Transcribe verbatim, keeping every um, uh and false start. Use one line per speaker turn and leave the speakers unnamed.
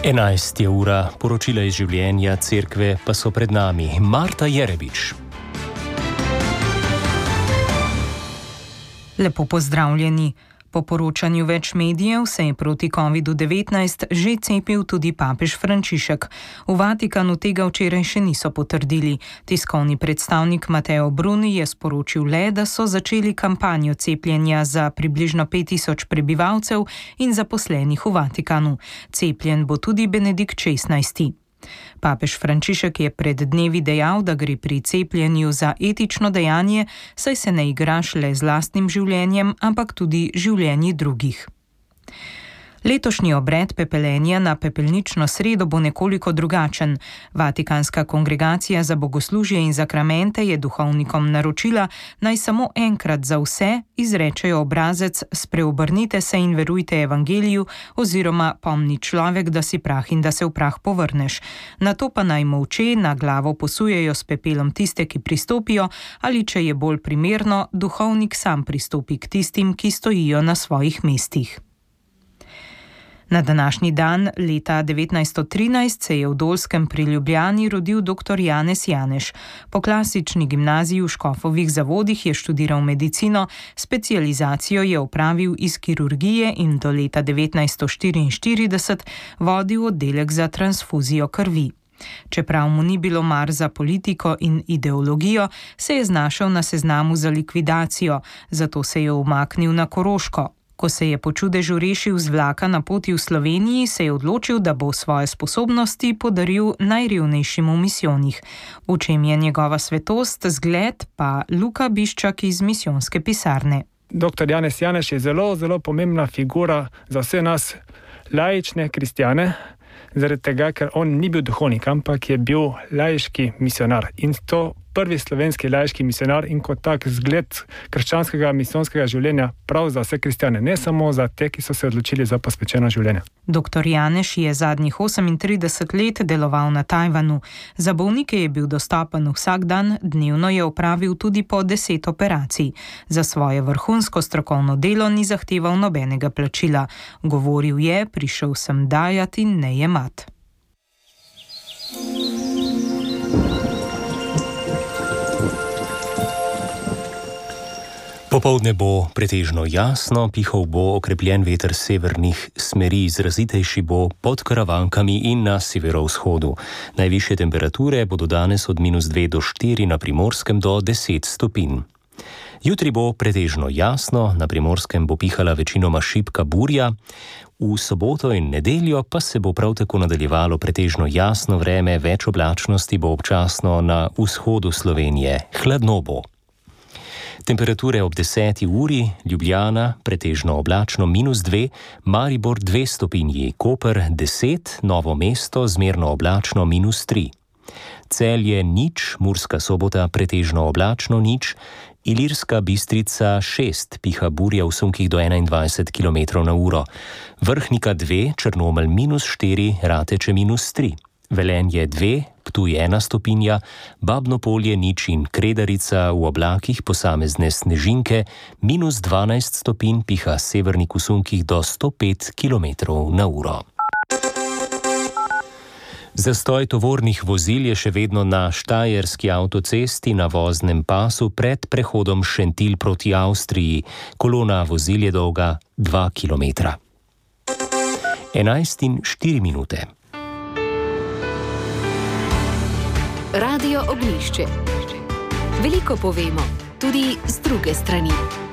enajst je ura, poročila iz življenja cerkve pa so pred nami. Marta Jerebič.
Lepo pozdravljeni. Po poročanju več medijev se je proti kovidu devetnajst že cepil tudi papež Frančišek. V Vatikanu tega včeraj še niso potrdili. Tiskovni predstavnik Mateo Bruni je sporočil le, da so začeli kampanjo cepljenja za približno pet tisoč prebivalcev in zaposlenih v Vatikanu. Cepljen bo tudi Benedikt šestnajsti. Papež Frančišek je pred dnevi dejal, da gre pri cepljenju za etično dejanje, saj se ne igraš le z lastnim življenjem, ampak tudi življenji drugih. Letošnji obred pepeljenja na pepelnično sredo bo nekoliko drugačen. Vatikanska kongregacija za bogoslužje in zakramente je duhovnikom naročila, naj samo enkrat za vse izrečejo obrazec "Spreobrnite se in verujte evangeliju" oziroma "Pomni človek, da si prah in da se v prah povrneš". Nato pa naj molče na glavo posujejo s pepelom tiste, ki pristopijo, ali če je bolj primerno, duhovnik sam pristopi k tistim, ki stojijo na svojih mestih. Na današnji dan leta devetnajststo trinajst se je v Dolskem pri Ljubljani rodil doktor Janez Janeš. Po klasični gimnaziji v Škofovih Zavodih je študiral medicino, specializacijo je opravil iz kirurgije in do leta devetnajststo štiriinštirideset vodil oddelek za transfuzijo krvi. Čeprav mu ni bilo mar za politiko in ideologijo, se je znašel na seznamu za likvidacijo, zato se je umaknil na Koroško. Ko se je po čudežu rešil z vlaka na poti v Sloveniji, se je odločil, da bo svoje sposobnosti podaril najrevnejšim v misijonih. V čem je njegova svetost, zgled pa Luka Biščak iz misijonske pisarne.
Doktor Janez Janeš je zelo, zelo pomembna figura za vse nas laične kristjane, zaradi tega, ker on ni bil duhovnik, ampak je bil laiški misionar. In to prvi slovenski laiški misionar in kot tak zgled krščanskega misijonskega življenja prav za vse kristjane, ne samo za te, ki so se odločili za posvečeno življenje.
Doktor Janeš je zadnjih osemintrideset let deloval na Tajvanu. Za bolnike je bil dostopen vsak dan, dnevno je opravil tudi po deset operacij. Za svoje vrhunsko strokovno delo ni zahteval nobenega plačila. Govoril je, prišel sem dajati in ne jemat.
Popoldne bo pretežno jasno, pihal bo okrepljen veter severnih smeri, izrazitejši bo pod Karavankami in na severovzhodu. Najvišje temperature bodo danes od minus dve do štiri, na Primorskem do deset stopinj. Jutri bo pretežno jasno, na Primorskem bo pihala večinoma šibka burja, v soboto in nedeljo pa se bo prav tako nadaljevalo pretežno jasno vreme, več oblačnosti bo občasno na vzhodu Slovenije, hladno bo. Temperature ob deseti uri, Ljubljana pretežno oblačno minus dve, Maribor dve stopinji, Koper deset, Novo mesto zmerno oblačno minus tri. Celje nič, Murska Sobota pretežno oblačno nič, Ilirska Bistrica šest, piha burja v sunkih do enaindvajset kilometrov na uro, Vrhnika dve, Črnomelj minus štiri, Rateče minus tri. Velenje dve, Ptuj ena stopinja, Babno Polje nič in Kredarica v oblakih posamezne snežinke, minus dvanajst stopinj, piha severnik v sunkih do sto pet kilometrov na uro. Zastoj tovornih vozil je še vedno na štajerski avtocesti na voznem pasu pred prehodom Šentilj proti Avstriji. Kolona vozil je dolga dva kilometra. enajst in štiri minute.
Radio Ognjišče. Veliko povemo, tudi z druge strani.